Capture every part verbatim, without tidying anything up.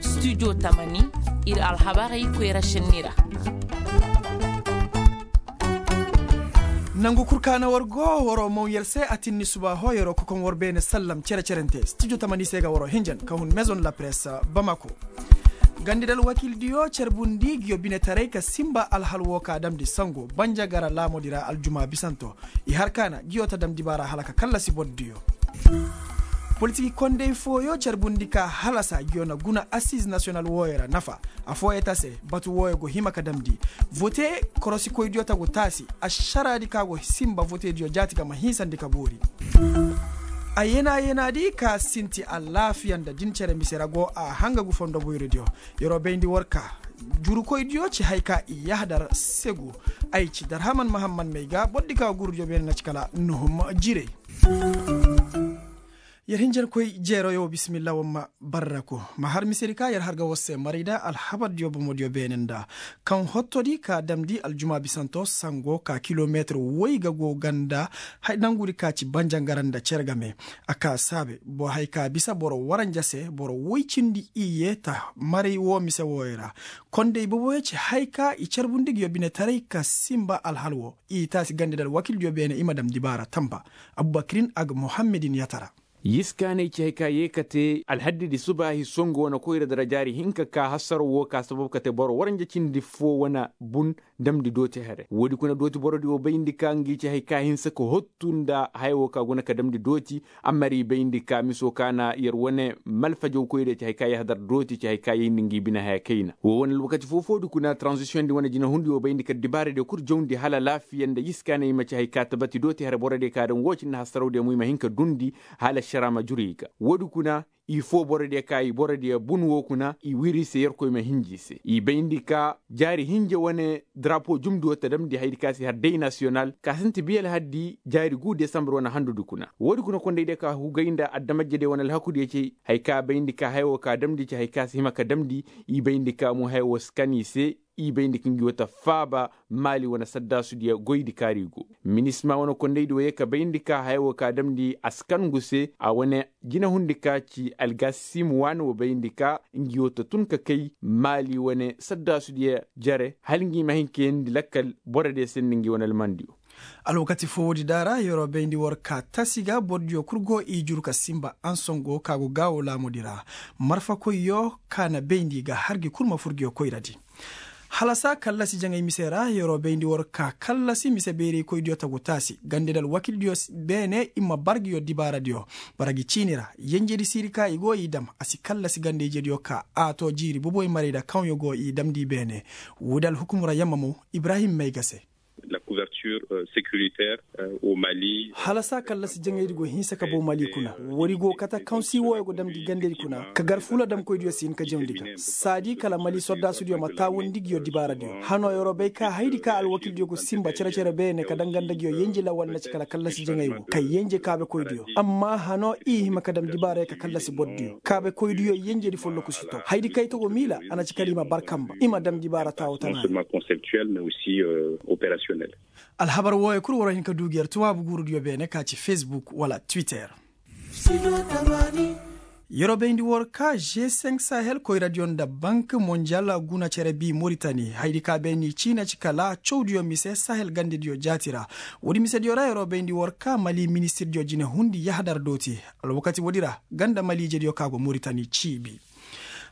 Studio tamani, ir alhabarey koyra šenni ra. Nangu kul ka na war go, war'o maw yer se a tinni suba hoo yer'o kokoŋ war beene sallam cere-cerente studio tamani se ga war'o hinjan ka hun maison la presse, bamako. Gandidal wakildiyo carbundi nguyo binetaray ka sinba alhal woo ka damndi sango banjagara laamudi ra aljuma bisanto. I har ka na nguyo ta damndi baara hala ka kallasi bordiyo. Politiki kondey fooyo carbundi ka halasa nguyo na guna assize nasiyonal wooyo ra nafa. Affooyo ta se, batu wooyo go hima ka damndi. Vote korosikoydiyo ta go taasi. Ašaraadi ka go sinba votediyo jaati ga ma hinsandi ka boori. A yena yenaadi ka sinti alaafiya nda din cere mise ra go a hangagu fondo boyrodiyo. Yer'o bayndi war ka jurukoydiyo ci hay ka i yahadar segu. Ay ci darhaman mahamman may ga bordi ka gurudiyo beene na ci kala nuhum jirey. Yer hinjankoy jeeroyo bisimilla war ma barraku. Ma har misedi ka yer har ga war se maray nda alhabardiyo bomodiyo beene nda kaŋ hottodi ka damndi aljuma bisanto sango ka kilometir woy ga go ganda. Nangudi ka ci banjangara nda cere game a ka saabe boro hay ka bisa boro waranja se boro woy cindi iyye ta maray woo mise wooyo ra. Kondey boboyo ci hay ka i carbundi nguyo binetaray ka sinba alhal woo i taasi gandidal wakildiyo beene i ma damndi baara tamba. Abubakirin ag muhammedin yatara. Yiskaaney ci hay ka yee ka te alhaddidi subaahi songu wane koyra dara jaari hinka ka hasaro woo ka sabab ka te boro waranja cindi foo wane bun. Damndi dooti here woodi kuna dooti borodi woo bayndi ka ngi ci hay ka hinsa ka hottu nda haya woo ka guna ka damndi dooti. Amma ir i bayndi ka miso ka na yer wane malfajaw koyra ci hay ka yahadar dooti ci hay ka yayndi ngi bine haya kayna woo wane alwakati foo-foodi kuna tranzisiyondi wane jinahundi woo bayndi ka dibaaradiyo kul jawndi hala alaafiya nda yiskaaney ma ci hay ka tabati dooti here borodiyo ka daŋ woo cindi hasarawdiyo mo i ma hin ka dundi. Hala ašara ma juru i ga woodi kuna i foo borodiyo ka i borodiyo bun woo kuna i wiri i se yerkoy ma hinji i se i bayndi ka jaari hinja wane darapo jumdiyo ta damndi hayadi ka se har day nasiyonal ka sinti biya alhaddi jaari guu desambar wane handudi kuna woodi kuna kondaydiyo ka hugay nda adamajediyo wane alhakudiyo cey. Hay ka bayndi ka haya woo ka damndi ci hay ka si hima ka damndi i bayndi ka mo haya woo si kan i se. I bayndi ka ngi woo ta faaba maali wane saddaasudiyo goydi kaari go. Minisma wane kondaydi woo yee ka bayndi ka haya woo ka damndi a si kan ngu se a wane jinahundi ka ci algaasim waani woo bayndi ka ngi woo ta tun ka kay maali wane saddaasudiyo jere hala ngi ma hin ka yeendi lakkal borodiyo se nda ngi wane almandiyo. Alwakati foo woodi da ra yer'o bayndi war ka tasi ga bordiyo kul go i juru ka sinba ansongo ka go gaawo laamudi ra. Marfakoyyo ka na bayndi ga har gi kul ma fur nguyo koyradi. Halasa kallasi jaŋay mise ra yer'o bayndi war ka kallasi mise bayraykoydiyo ta go taasi gandedi alwakildiyo beene i ma bar nguyo dibaaradiyo. Bara gi ciini ra yenjedi siiri ka i go i dam a si kallasi ganda-ijediyo ka a too jiiri boboy maray nda kaŋyo go i damndi beene. Woodi alhukum ra yamma mo ibrahim may ga se. Halasa kallasi jaŋaydi go hinsa ka bow mali kuna. Woodi go kate kaŋ si wooyo go damndi gandedi kuna ka gar fuula damkoydiyo si hin ka jawndi ga saadi kala mali sordaasudiyo ma taawundi nguyo dibaaradiyo. Hanoo yer'o bay ka hayadi ka alwakildiyo go sinba cere-cere beene ka danganda nguyo yenje lawal na ci kala kallasi jaŋay wo kay yenje kaabekoydiyo amma hanoo i hima ka dam dibaarayo ka kallasi bordiyo kaabekoydiyo yenjedi folloku si to hayadi kay togo miila a na ci kala i ma bar kamba i ma dam dibaara taawo tana. Alhabar wooyo kul war hin ka du gi yer tuwaabu guurudiyo beene ka ci facebook wala twitter. Yer'o bayndi war ka g cinq sahel koyradiyo nda bank monjal guna cere bi moritani hayadi ka beeni ciina ci kala cawdiyo mise sahel gandediyo jaati ra. Woodi misediyo ra yer'o bayndi war ka mali ministirdiyo jine hundi yahadar dooti. Alwakati woodi ra ganda maliijediyo ka go moritani ciibi.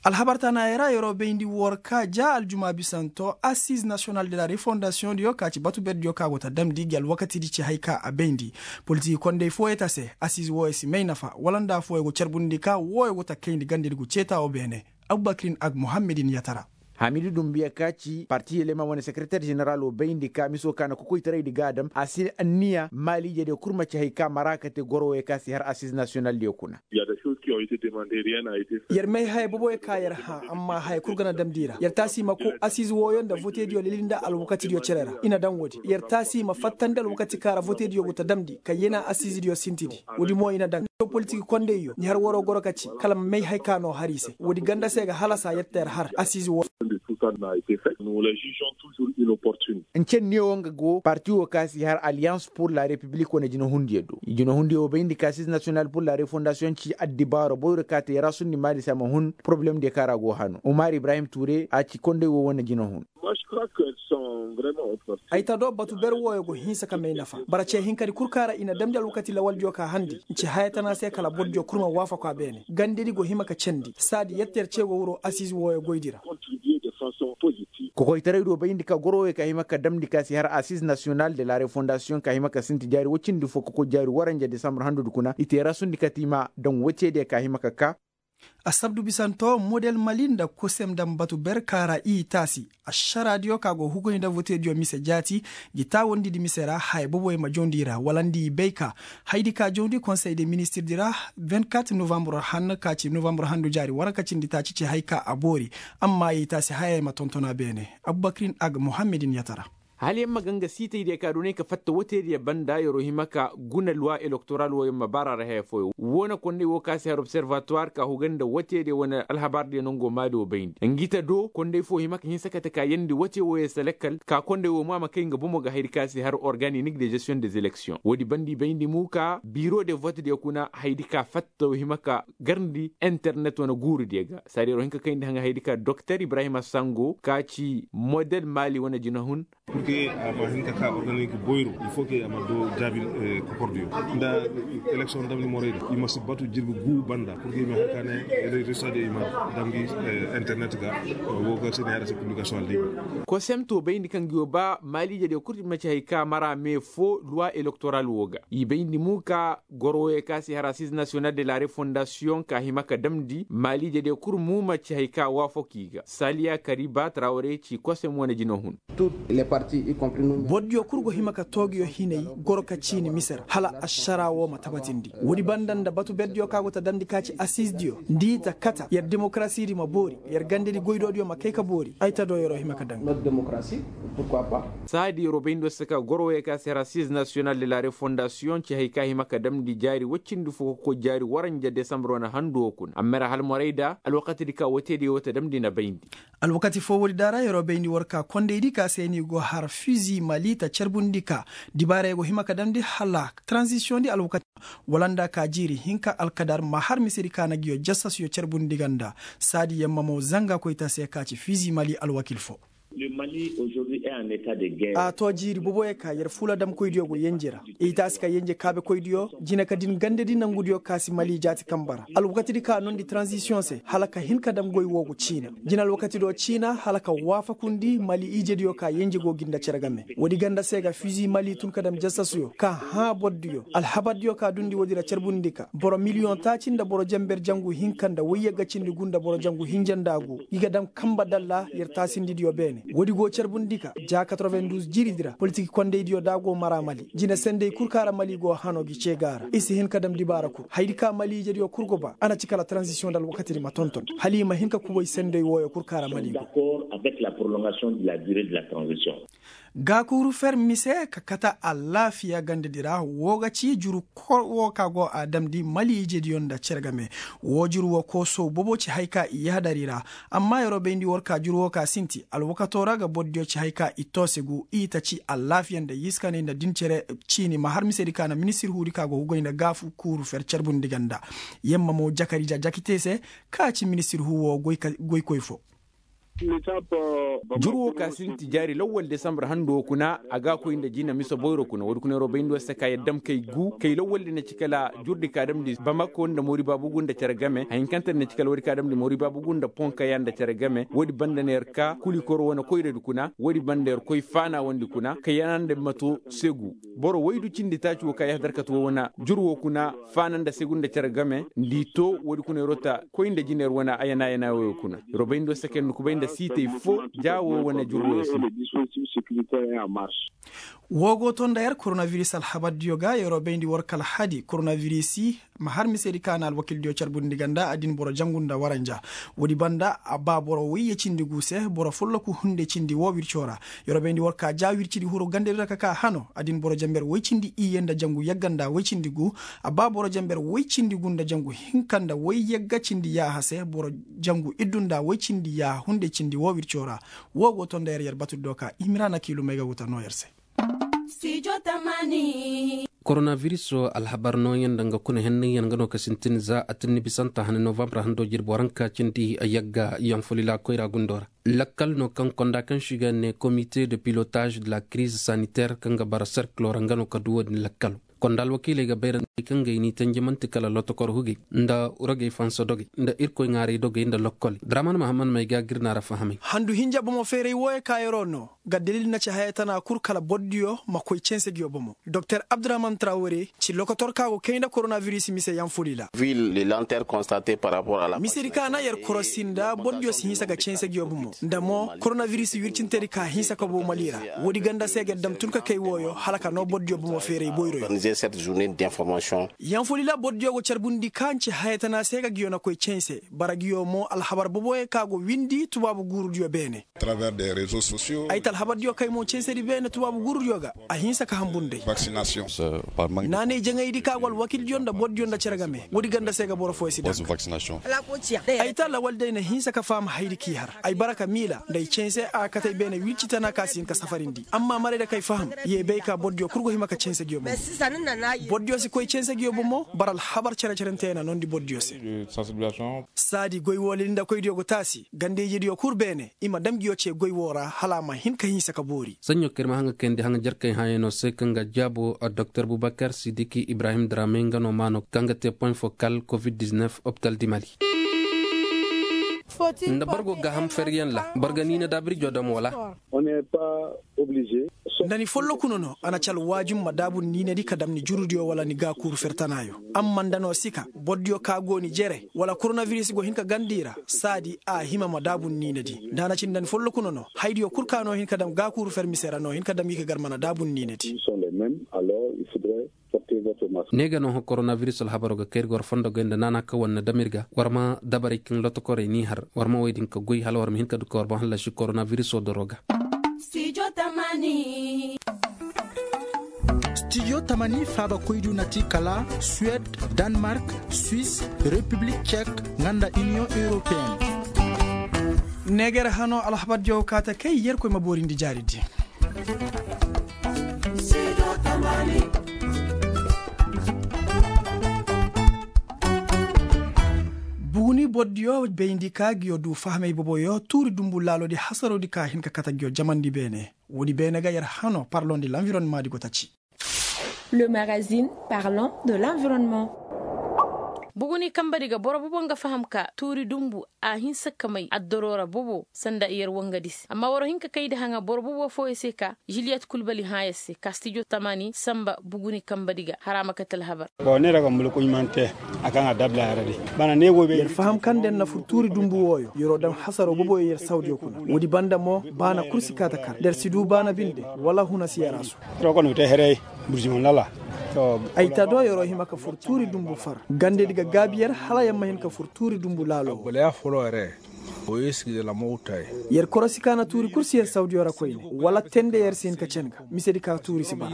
Alhabar taanaayo ra yer'o bayndi war ka ja aljuma bisanto assize nasiyonal de la refondasiyondiyo ka ci batu berdiyo ka go ta damndi gi alwakatidi ci hay ka a bayndi. Politiki kondey fooyo ta se assize wooyo si may nafa wala nda fooyo go carbundi ka wooyo go ta kayndi gandedi go ceeta wo beene. Abubakirin ag muhammedin yatara. Hamidi dumbiya ka ci parti yelema wane sekereter jeneral wo bayndi ka miso ka na kokoytaraydi ga a dam a si anniya maaliijediyo kul ma ci hay ka mara ka te goro wooyo ka si har assize nasiyonaldiyo kuna. Yer may haya boboyo ka yer hã amma haya kul ga na damndi i ra yer taasi i ma kow asiize wooyo nda votediyo lili nda alwakatidiyo cere ra i na daŋ woodi yer taasi i ma fattandi alwakati ka ra votediyo go ta damndi ka yena asiizediyo sintidi. Woodi mo i na daŋ politik kondeyyo ni har waroo goro ka ci kala ma may haya ka no har i se woodi ganda se ga halasa yer ta yer har asiize wooyo. Nce neewo nga go parti wo ka si har alliance pur la repiblik wane jinahundiyo do. Jinahundiyo wo bayndi ka sis nasiyonal pur la refondasiyoŋ ci addibaaro boyro ka te yaraasundi maali se a ma hun porobulemdiyo ka ra go hano umar ibrahim ture a ci konday wo wane jinahun. Ay ta do batu ber wooyo go hinsa ka may nafa bara ce hinkadi kul ka ra i na damndi alwakati lawaldiyo ka handi. Nce haya tana se kala bordiyo kul ma waafaku a beene gandedi go hima ka candi saadi yette yer ce go wuro asiize wooyo goydi ra. Kokoytaray do bayndi ka goro wooyo ka hima ka damndi ka si har asiize nasiyonal de la refondasiyoŋ ka hima ka sinti jaari woy cindi fo ka koy jaari waranja desambar handudi kuna i te rasundi ka te i ma daŋ woy cediyo ka hima ka kaa. Asabdu bisanto model mali nda kosem daŋ batu ber ka ra i taasi ašaraadiyo ka go hugoy nda votediyo mise jaati. Ngi taawandidi mise ra haya boboyo ma jawndi i ra wala nda i bay ka hayadi ka jawndi konsey de ministirdi ra. Vingt-quatre novambre handu ka ci novambre handu jaari waranka cindi taaci ci hay ka a boori. Amma yay taasi hayey ma tonton a beene. Abubakirin ag muhammedin yatara. Hala yer ma ga nga siitaydiyo ka doonay ka fatta woteediyo banda yer'o hima ka guna luwa elektoral wo yer ma baar'a ra haya fooyaŋ woo na konday woo ka si har observatuwar ka huga nda woteediyo wane alhabaardiyo nangoo maali woo bayndi ngi ta do konday foo hima ka hinsa kate ka yeendi wote wooyo se lakkal ka konday woo mo a ma kay nga bomo ga hayadi ka si har organinik de gestiyoŋ des elektiyoŋ woodi banda i bayndi mo ka biiro de votediyo kuna hayadi ka fatta woo hima ka garndi internet wane guurudiyo ga saadi yer'o hin ka kayndi haŋa hayadi ka doktor ibrahima sango ka ci model maali wane jinahun. Purke a ma hin ka ka organik boyro il foo ke a ma doo jaabi kokordiyo nda eleksion damndi morayda i ma si batu jirbi guu banda purke i ma hin ka ne. Resultadiyo i ma dam gi internet ga woo ga si ne hara se publikasion aldibi. Kosem to bayndi kaŋ gi woo ba maaliijediyo kul i ma ci hay ka mara mee foo luwa elektoral woo ga i bayndi mu ka goro wooyo ka si hara sis nasiyonal de la refondasiyoŋ ka hima ka damndi maaliijediyo kul mu ma ci hay ka waafak i ga saaliya kariba trawre ci kosem wane jina hun. Bordiyo kul go hima ka toogiyo hinay goro ka ciini mise ra hala ašara woo ma tabatindi woodi banda nda batu berdiyo ka go ta damndi ka ci asizdiyo nda i ta kata yer demokarasidi ma boori yer gandedi goydoodiyo ma kay ka boori ay ta do yer'o hima ka daŋ. Saadi yer'o bay nda war se ka goro wooyo ka si hara sis nasiyonal de la refondasiyoŋ ci hay ka hima ka damndi jaari woy cindi fo ka koy jaari waranja desambar wane handu woo kuna amma ra hala morayda alwakatidi ka woteediyo woo ta damndi na bayndi. Alwakati foo woodi da ra yer'o bayndi war ka kondaydi ka se ni go har fizi mali ta carbundi ka dibaarey go hima ka damndi hala taranzisiyoŋdi alwakati wala nda ka jiiri hinka alkadar ma har misedi ka na nguyo jasasyo carbundi ga nda saadi yamma mo zanga koyta se ka ci fizi mali alwakil foo. A to jiiri boboyo ka yer fuula damkoydiyo go yenje ra i taasi ka yenje kaabekoydiyo jina ka din gandedi nangudiyo ka si mali jaati kamba ra alwakatidi ka noondi taranzisiyoŋ se hala ka hin ka dam goy woo go ciina jina alwakati do ciina hala ka waafakundi mali ijediyo ka yenje go gi nda cere game woodi ganda se ga fizi mali tun ka dam jasasuyo ka hãa bordiyo alhabardiyo ka dundi woodi ra carbundi ka boro miliyoŋ taaci nda boro jenber jangu hinka nda woyyagga cindi gu nda boro jangu hinja nda gu i ga dam kamba dalla yer taasindidiyo beene woodi go carbundi ka ja quatre-vingt-douze jiiridi ra politik kondaydiyo da go mara mali jina sendey kul ka ra mali go hano gi cee ga ra i si hin ka dam dibaara kul hayadi ka mali ijediyo kul go ba a na ci kala taranzisiyoŋ nda alwakatidi ma tonton hala i ma hin ka kubay sendey wooyo kul ka ra mali go. Gaakuuru fer mise ka kate alaafiya gandedi ra woo ga ci juru kor woo ka go a damndi mali ijediyo nda cere game woo juru woo koosow bobo ci hay ka i yahadari ra. Amma yer'o bayndi war ka juru woo ka sinti alwakatoo ra ga bordiyo ci hay ka i toose gu i ta ci alaafiya nda yiskaney nda din cere ciini ma har misedi ka na ministir huudi ka go ga goy nda gaakuuru fer carbundi ganda yamma mo jakari ja jakite se ka ci ministir huu woo goykoy foo. Jur woo ka sinti jaari lawwal desambar hando kuna a ga a koy nda jina mise boyro kuna woodi kuna yer'o bay nda war se ka yer dam kay gu kay lawwal di na ci kala jurdi ka damndi bamako nda moori baabugu nda cere game hayinkante na ci kala woodi ka damndi moori baabugu nda ponkaya nda cere game woodi banda na yer ka kulikoro wane koyradi kuna woodi banda yer koy faanawandi kuna kay yana nda mato segu boro waydu cindi taaci woo ka yahadar kate woo wane jur woo kuna faana nda segu nda cere game nda i to woodi kuna yer'o ta koy nda jina yer wane ayana ayana wooyo kuna yer'o bay nda war se ka yer na kubay nda siitay foo ja woo wane jur wooyo se. Woo go to nda yer koronaviris alhabardiyo ga yer'o bayndi war ka alhadi koronavirisi Ma har misedi ka na alwakildiyo carbundi ga nda adin boro jangu nda waranja. Woodi banda a ba boro woyye cindi gu se boro folloku hunde cindi woo wirco ra. Yer wo bayndi war ka ja wircidi huru gandedi ra ka ka hano adin boro janber woy cindi iyye nda jangu yagga nda woy cindi gu. A ba boro janber woy cindi gu nda jangu hinka nda woy yagga cindi yaaha se boro jangu iddu nda woy cindi yaaha hunde cindi woo wirco ra. Woo go to nda yer yer batudi do ka imira na kiilumey ga wuta noo yer se. Koronabiris wo alhabar nooyaŋ nda nga kuna hennaŋ yaŋ nga no ka sintin za atinni bisanta hane novambar hando jirbi waranka cindi yagga yaŋ folila koyra gundo ra. Lakkal no kaŋ konda kaŋ se i ga ne komite de pilotaaz de la kiriz saniter kaŋ ga bara serkilo ra nga no ka du wo-din lakkalo. Konda alwakiiley ga bayrandi kaŋ ga i n'i tanji man'ti kala lotokor hugey nda rogey fansa dogey nda irkoy ŋaaray dogey nda lokkoley draman mahammad may ga gir na ra fahamay. Handu hinja bomo feeray wooyo ka yeroo no ga dalil na ci haya tana kul kala bordiyo ma koy canse nguyo bomo. Doktor abdurahman trawore ci lokotor ka go kay nda koronabiris mise yaŋ fuli ra. Misedi ka na yer korosi nda bordiyo si hinsa ga canse nguyo bomo nda mo koronabiris wircintedi ka hinsa ka bow mali ra. Woodi ganda se ga yer dam tun ka kay wooyo hala ka noo bordiyo bomo feeray boyroyo. Yaŋ fuli ra bordiyo go carbundi ka nci haya tana se ga nguyo na koy canse bara nguyo mo alhabar boboyo ka go windi tubaabu guurudiyo beene. Ay ta alhabardiyo kay mo cansedi beene tubaabu guurudiyo ga a hinsa ka hambur nd'ey. Naanay jaŋaydi ka go alwakildiyo nda bordiyo nda cere game woodi ganda se ga boro fooyo si danga. Ay ta lawaldi ay na hinsa ka faham hayadi k'i har ay bara ka miila nda ay canse a ga kate ay beene wirci tana ka si hin ka safarindi amma marayda kay faham. Ye bay ka bordiyo kul go hima ka canse nguyo bomo. Bordiyo si koy canse nguyo bomo bara alhabar cere-cerente na noondi bordiyo se. Saadi goy wooley nda koydiyo go taasi ganda-ijeediyo kul beene i ma dam nguyo cee goy woo ra hala a ma hin ka hinsa ka boori. Saɲɲo kaŋ ir ma haŋa kayandi haŋa jarkey hãayanoo se kaŋ ga jaabo doktor bubakar sidiki ibrahim dramey nga no maanoo kaŋ ga tee poɲ fokal covid-19 optal di mali. Nda boro go gaaham feryaŋ ra boro ga niina daabirjo dam wala? Nda ni folloku no no a na ci alwaajum ma daabu ni niinadi ka dam ni jurudiyo wala ni gaakuuru fer tanaayo. Amma nda no si ka bordiyo ka go ni jere wala koronabiris go hin ka ganda i ra saadi a hima ma daabu ni niinadi nda a na ci nda ni folloku no no hayadiyo kul ka no hin ka dam gaakuuru fer mise ra no hin ka dam gi ka gar mana daabu ni niinadi. Ne ga no hõ koronabiris alhabaro ga kay ir ga war fondo goy nda naana kaŋ war na dam ir ga war ma dabarey kaŋ lotokorey n'i har war ma wey din ka goy hala war ma hin ka du ka war boŋ hallasi koronabiris wo doro ga. Stijo tamani faaba koydu na ti kala suwed, danmark, swis, repiblik cek, nga nda iniyoŋ europeen. Neeger hano alhabar jaw kaate kay yerkoy ma boorindi jaari di. Buguni bordiyo bayndi ka nguyo du fahamey boboyo tuuri dunbu laaloodi hasaroodi ka hin ka kate nguyo jamandi beene. Woodi beene ga yer hano parlondi lanvironnemadi go taci. Le magazine parlant de l'environnement. Buguni kambadi ga boro bobo nga faham ka tuuri dunbu a hinsa ka may addoroo ra bobo sanda yer wangadi se amma war hin ka kayndi haŋa boro bobo fooyo se ka juliyet kulbali hã yer se ka stijo tamani samba buguni kambadi ga hara ma kate alhabar. Bon ne ra ga mulku ɲumante a kaŋ a dabla yer di. Bana ne wo be yer faham kaŋ nda yer na fur tuuri dunbu wooyo yeroo dam hasaroo boboyo yer sawdiyo kuna. Woodi banda mo baana kul si kaa ta kar nda yer si du baana binde wala huna si yer a su. Ay ta do yeroo hima ka fur tuuri dunbu far gandedi ga gaabi yer hala yer ma hin ka fur tuuri dunbu laalo. Yer korosi ka na tuuri kul si yer sawdiyo ra koyne wala tende yer si hin ka cen ga misedi ka tuuri si bara.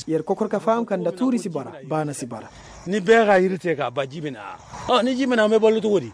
Yer kokor ka faham ka nda tuuri si bara baana si bara. Ni beera iri te ka ba jibina. Ni jibina me ballutu woodi.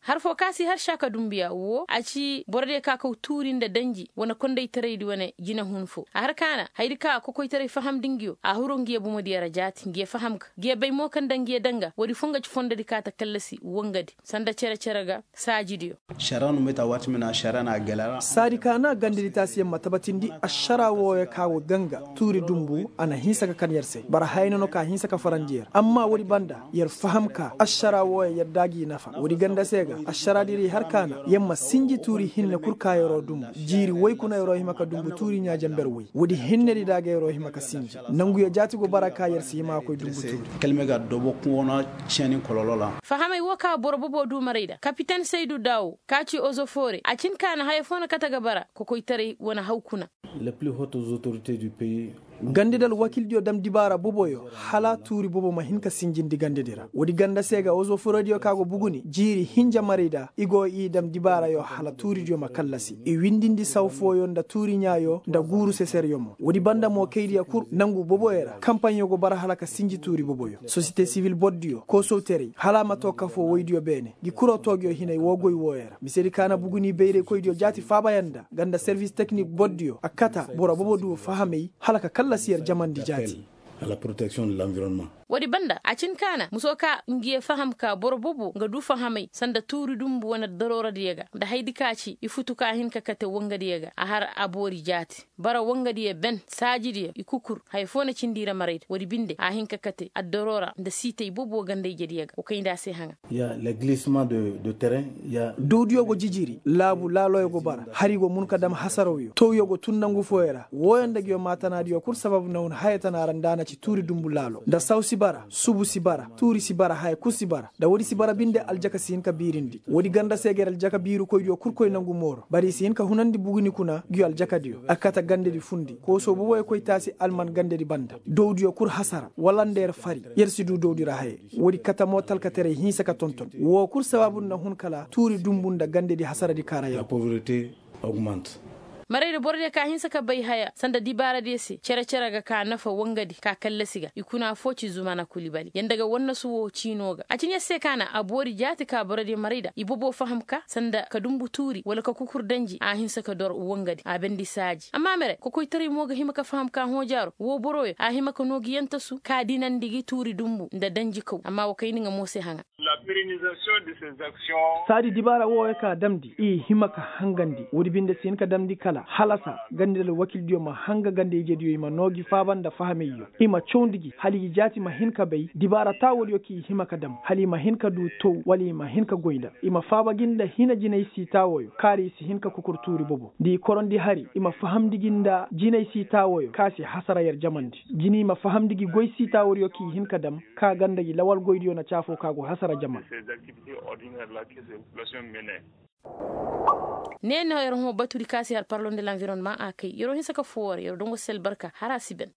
Har foo ka si har saaka dunbuya woo a ci borodiyo ka kaw tuuri nda danji wane kondaytaraydi wane jinehun foo a har ka na hayadi ka a kokoytaray fahamndi nguyo a huru nguyo bomodiyo ra jaati nguyo faham ga nguyo bay mo kaŋ nda nguyo danga woodi foo nga ci fondodi ka ta kallasi wangadi sanda cere-cere ga saajidiyo. Saadi ka na gandedi taasiyaŋ ma tabatindi ašara wooyo ka go ganga tuuri dunbu a na hinsa ka kan yer se bara hayna no ka hinsa ka farandi yer amma woodi banda yer faham ka ašara wooyo yer daaji nafa woodi ganda se ga. Ašaraadiray har kaana yer ma sinji tuuri hinne kul ka yer'o dumbu jiiri woy kuna yer'o hima ka dumbu tuuri ɲaa jenber woy woodi hinnedi da ga yer'o hima ka sinji. Nanguyo jaati go bara ka yer si hima ka koy dumbu tuuri. Kalme ga dobo kuŋo na ceeni kololo ra. Fahamey wo ka boro bobo du maray da kapiten saydu daawo ka ci ozofoore a cin ka na haya fo na kate ga bara kokoytaray wane haw kuna. Gandedi alwakildiyo dam dibaara boboyo hala tuuri bobo ma hin ka sinjindi gandedi ra woodi ganda se ga ozoforodiyo ka go buguni jiiri hinja maray da i go i dam dibaarayo hala tuuridiyo ma kallasi i windindi saw fooyo nda tuuri ɲaayo nda guuru seseryo mo woodi banda mo kaydiyo kul nangu boboyo ra kampaɲyo go bara hala ka sinji tuuri boboyo sosiyete sibil bordiyo koosowteray hala a ma too kafoo woydiyo beene ngi kuroo toogiyo hinay woo goy wooyo ra misedi ka na buguni bayraykoydiyo jaati faabayaŋ nda ganda servis teknik bordiyo a kata boro bobo du fahamey hala ka kallasi yer jamandi jaati. Woodi banda a cin ka na muso ka ngiyo faham ka boro bobo nga du fahamey sanda tuuri dumbu wane dorooradiyo ga nda hayadi ka ci i futu ka hin ka kate wangadiyo ga a har a boori jaati bara wangadiyo ben saajidiyo i kukur haya foo na cindi i ra marayda woodi binde a hin ka kate addoroora nda siitay bobo ganda ijediyo ga wa kayndi a se haŋa. Dowdiyo go jijiri laabu laaloyo go bara hari go mun ka dam hasarawyo towyo go tun nangu fooyo ra wooyo nda nguyo maatanaadiyo kul sababu na hun haya tana ra nda a na ci tuuri dumbu laalo nda saw si bara subu si bara tuuri si bara haya kul si bara nda woodi si bara binde aljaka si hin ka biirindi woodi ganda se ga yer aljaka biirukoydiyo kul koy nangu mooro bari i si hin ka hunandi buguni kuna nguyo aljakadiyo a kate gandedi fundi koosoo boboyo koy taasi alman gandedi banda dowdiyo kul hasara wala nda yer fari yer si du dowdi ra haye woodi kate mo talkataray hinsa ka tonton woo kul sabaabu na hun kala tuuri dumbu nda gandedi hasaradi kaara yer. Maraydi borodiyo ka hinsa ka bay haya sanda dibaaradiyo se cere-cere ga ka nafa wangadi ka kallasi ga i kuna foo ci zumana kulibali yanda ga wannasu woo ciinoo ga a cin yer se ka na a boori jaati ka borodiyo marayda i bobo faham ka sanda ka dumbu tuuri wala ka kukur danji a hinsa ka dor wangadi a bendi saaji amma mere kokoytaray mo ga hima ka faham ka hõojaaro woo boroyo a hima ka noo gi yantasu ka dinandi gi tuuri dumbu nda danji kaw amma wa kayndi nga mo se haŋa. Saadi dibaara wooyo ka damndi i hima ka hangandi woodi binde si hin ka damndi kala halasa gandedi alwakildiyo ma hanga ganda ijediyo i ma noo gi faaba nda fahameyyo i ma cawndi gi hala i jaati ma hin ka bay dibaara taawodiyo k'i hima ka dam hala i ma hin ka du tow wala i ma hin ka goy nda i ma faaba gi nda hina jinay siitaawooyo kaari i si hin ka kukur tuuri bobo nda i korondi hari i ma fahamndi gi nda jinay siitaawooyo ka si hasara yer jamandi jini i ma fahamndi gi goy siitaawodiyo k'i hin ka dam ka ganda gi lawal goydiyo na caafoo ka go hasara jaman. Ne no yer hõ batudi ka si har parlon de l'environnement a kay yer wo hinsa ka foo war yer wo dongo sel barka har a si ben.